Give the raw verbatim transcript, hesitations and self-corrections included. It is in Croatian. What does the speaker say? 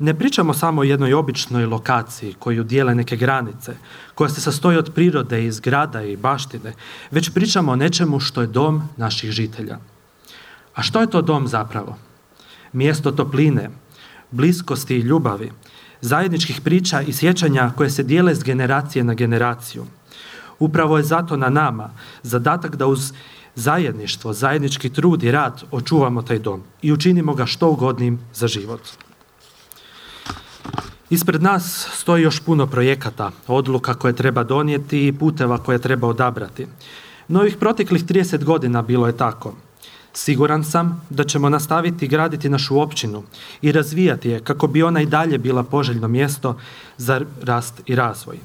Ne pričamo samo o jednoj običnoj lokaciji koju dijele neke granice, koja se sastoji od prirode i zgrada i baštine, već pričamo o nečemu što je dom naših žitelja. A što je to dom zapravo? Mjesto topline, bliskosti i ljubavi, zajedničkih priča i sjećanja koje se dijele s generacije na generaciju. Upravo je zato na nama zadatak da uz zajedništvo, zajednički trud i rad očuvamo taj dom i učinimo ga što ugodnijim za život. Ispred nas stoji još puno projekata, odluka koje treba donijeti i puteva koje treba odabrati. No ovih proteklih trideset godina bilo je tako. Siguran sam da ćemo nastaviti graditi našu općinu i razvijati je kako bi ona i dalje bila poželjno mjesto za rast i razvoj.